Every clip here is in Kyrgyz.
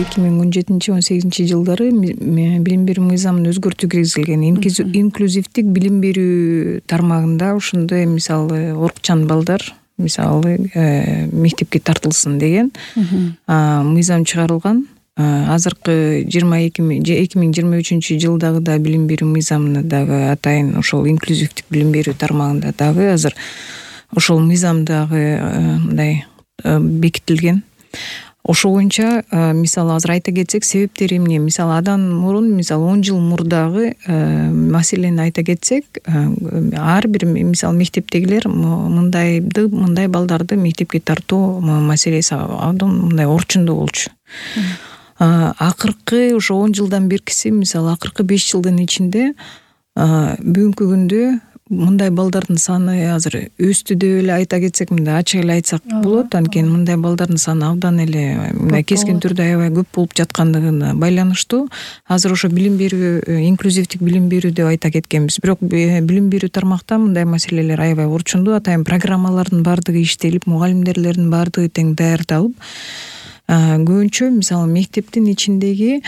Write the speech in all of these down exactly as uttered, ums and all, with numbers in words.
эки миң он жетинчи он сегизинчи жылдары билим берүү мыйзамына өзгөртүү киргизилген. Инклюзивдик билим берүү тармагында ошондой мисалы орукчан балдар мисалы мектепке тартылсын деген мыйзам чыгарылган. Азыркы жыйырма эки миң жыйырма үчүнчү жылдагы да билим берүү мыйзамына дагы атайын ошол инклюзивдик билим берүү тармагында дагы азыр ошол мыйзам дагы мындай бекитилген. Ошо боюнча мисалы азыр айта кетсек себептери эмне? Мисалы андан мурун мисалы он жыл мурдагы маселени айта кетсек, ар бир мисалы мектептегилер мындайды мындай балдарды мектепке тартуу маселеси абдан мындай орчундуу болчу. Акыркы ошо он жылдан беркиси мисалы акыркы беш жылдын ичинде бүгүнкү күндө мындай балдардын саны азыр өстү деп эле айта кетсек, мындай ачык эле айтсак болот. Анткени мындай балдардын саны абдан эле мындай keskin түрдө аябай көп болуп жаткандыгына байланыштуу. Азыр ошо билим берүү, инклюзивдик билим берүү деп айта кеткенбиз. Бирок билим берүү тармакта мындай маселелер аябай орчундуу. Атайын программалардын баардыгы иштелип, мугалимдерлердин баардыгы тең даярдалып, көбүнчө мисалы мектептин ичиндеги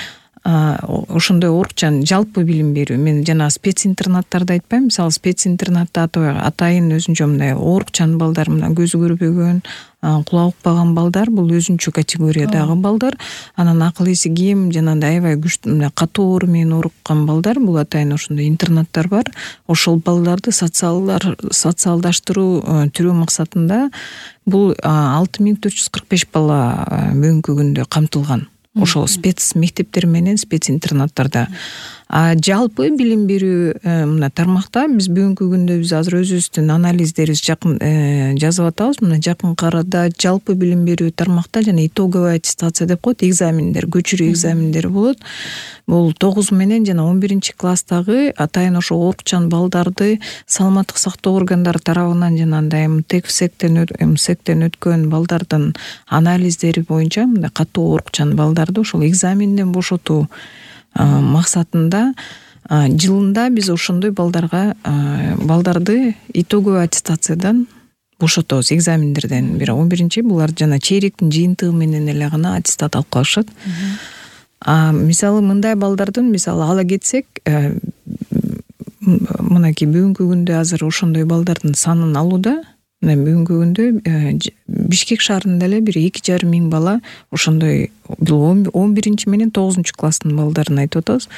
ошондой орукчан жалпы билим берүү. Мен жана спец интернаттарды айтпайм. Мисалы спец интернатта атайын өзүнчө мындай орукчан балдар, мына көзү көрбөгөн, кулагы укпаган балдар, бул өзүнчө категориядагы балдар. Анан акыл эси кем жанагындай аябай күчтүү мына катуу оору менен ооруккан балдар, бул атайын ошондой интернаттар бар. Ошол балдарды социалдар социалдаштыруу түрөө максатында бул алты миң төрт жүз кырк беш бала бүгүнкү күндө камтылган. Ошол спец мектептер менен спец интернаттарда. А жалпы билим берүү мына тармакта биз бүгүнкү күндө биз азыр өзүбүздүн анализдерибиз жакын жазып атабыз. Мына жакынкы арада жалпы билим берүү тармакта жана итоговая аттестация деп коет, экзамендер, көчүрүү экзамендери болот. Бул тогуз менен жана он биринчи класстагы атайын ошо орукчан балдарды саламаттык сактоо органдары тарабынан жанагындай МТЭК-сектен МСЭКтен өткөн балдардын анализдери боюнча мындай катуу орукчан балдарды ошол экзаменден бошотуу максатында жылында биз ошондой балдарга балдарды итоговый аттестациядан бошотобуз, экзамендерден. Бирок он биринчи булар жана чейректин жыйынтыгы менен эле гана аттестат алып калышат. Мисалы мындай балдардын мисалы ала кетсек, мынакей бүгүнкү күндө азыр ошондой балдардын санын алууда. Мына бүгүнкү күндө Бишкек шаарында эле бир эки жарым миң бала ошондой он биринчи менен тогузунчу класстын балдарын айтып атабыз.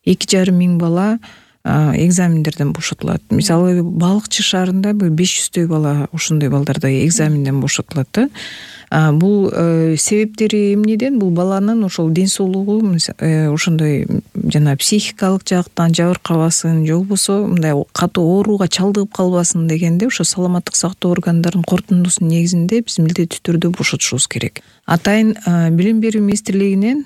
эки жарым миң бала экзамендерден бошотулат. Мисалы Балыкчы шаарында бир беш жүздөй бала ошондой балдардай экзаменден бошотулат да. Бул себептери эмнеден? Бул баланын ошол ден соолугу ошондой жана психикалык жактан жабыркабасын, же болбосо мындай катуу ооруга чалдыгып калбасын дегенде ошо саламаттык сактоо органдарынын корутундусунун негизинде биз милдеттүү түрдө бошотушубуз керек. Атайын билим берүү министрлигинен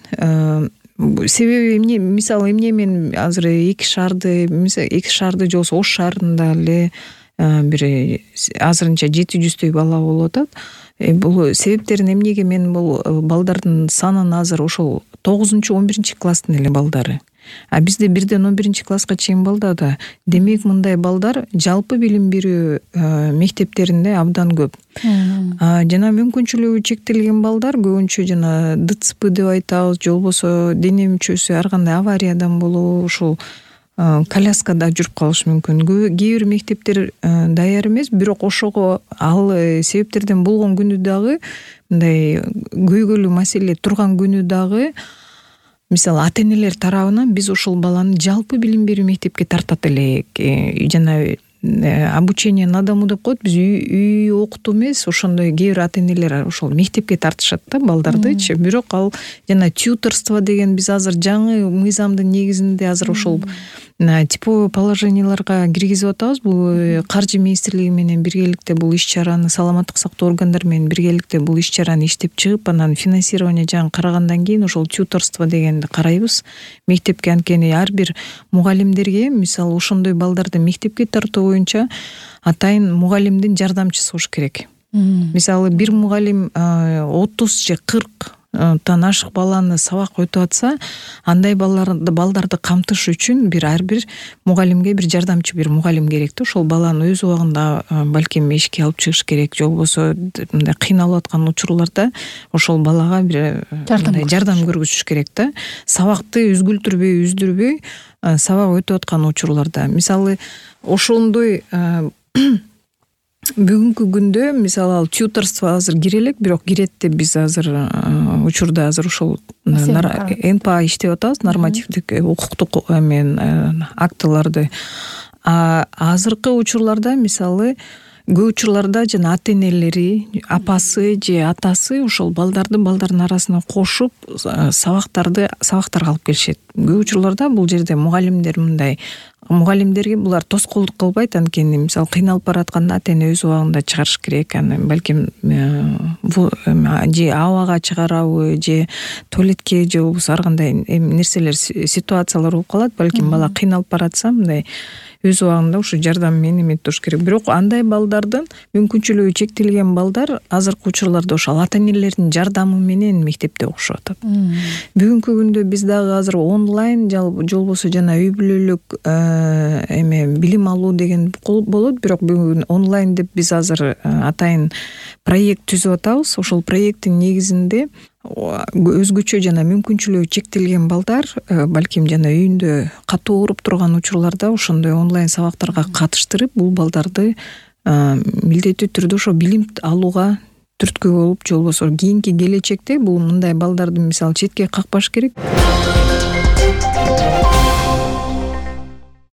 себеби эмне? Мисалы эмне мен азыр эки шаарды, мисалы эки шаарды же болбосо Ош шаарында эле бир азырынча жети жүздөй бала болуп атат. Бул себептерин эмнеге мен бул балдардын санын азыр ошол тогузунчу он биринчи класстын эле балдары. А бизде бирден он биринчи класска чейин балдар да. Демек мындай балдар жалпы билим берүү мектептеринде абдан көп. Жана мүмкүнчүлүгү чектелген балдар көбүнчө жана ДЦП деп айтабыз, же болбосо дене мүчөсү ар кандай авариядан болобу ушул коляскада жүрүп калышы мүмкүн. Кээ бир мектептер даяр эмес, бирок ошого ал себептерден болгон күнү дагы мындай көйгөйлүү маселе турган күнү дагы мисалы ата-энелер тарабынан биз ошол баланы жалпы билим берүү мектепке тартат элек. Жана обучение на дому деп коет, биз үй окутуу эмес, ошондой кээ бир ата-энелер ошол мектепке тартышат да балдардычы. Бирок ал жана тьюторство деген биз азыр жаңы мыйзамдын негизинде азыр ошол типовой положенияларга киргизип атабыз. Бул каржы министрлиги менен биргеликте бул иш-чараны, саламаттык сактоо органдары менен биргеликте бул иш-чараны иштеп чыгып, анан финансирование жагын карагандан кийин ошол тьюторство дегенди карайбыз мектепке. Анткени ар бир мугалимдерге мисалы ошондой балдарды мектепке тартуу боюнча атайын мугалимдин жардамчысы болуш керек. Мисалы бир мугалим отуз же кырк ашык баланы сабак өтүп атса, андай балдарды балдарды камтыш үчүн бир ар бир мугалимге бир жардамчы бир мугалим керек да. Ошол баланы өз убагында балким эшикке алып чыгыш керек, же болбосо мындай кыйналып аткан учурларда ошол балага бир жардам көрсөтүш керек да. Сабакты үзгүлтүрбөй, үздүрбөй сабак өтүп аткан учурларда. Мисалы, ошондой бүгүнкү күндө мисалы ал тьюторство азыр кире элек, бирок кирет деп биз азыр учурда азыр ошол эн пэ а иштеп атабыз, нормативдик укуктук эмен актыларды. Азыркы учурларда мисалы көп учурларда жана ата энелери, апасы же атасы ошол балдарды балдардын арасына кошуп сабактарды сабактарга алып келишет. Көп учурларда бул жерде мугалимдер мындай мугалимдерге булар тоскоолдук кылбайт, анткени мисалы кыйналып баратканда ата эне өз убагында чыгарыш керек. Аны балким же абага чыгарабы, же туалетке, же болбосо ар кандай нерселер, ситуациялар болуп калат. Балким бала кыйналып баратса, мындай өз убагында ушу жардам менен эметип туруш керек. Бирок андай балдардын, мүмкүнчүлүгү чектелген балдар азыркы учурларда ошол ата энелердин жардамы менен мектепте окушуп атат. Бүгүнкү күндө биз дагы азыр онлайн же болбосо жана үй бүлөлүк эме билим алуу деген болот, бирок бүгүн онлайн деп биз азыр атайын проект түзүп атабыз. Ошол проекттин негизинде өзгөчө жана мүмкүнчүлүгү чектелген балдар, балким жана үйүндө катуу ооруп турган учурларда ошондой онлайн сабактарга катыштырып, бул балдарды милдеттүү түрдө ошо билим алууга түрткү болуп, же болбосо кийинки келечекте бул мындай балдарды мисалы четке какпаш керек.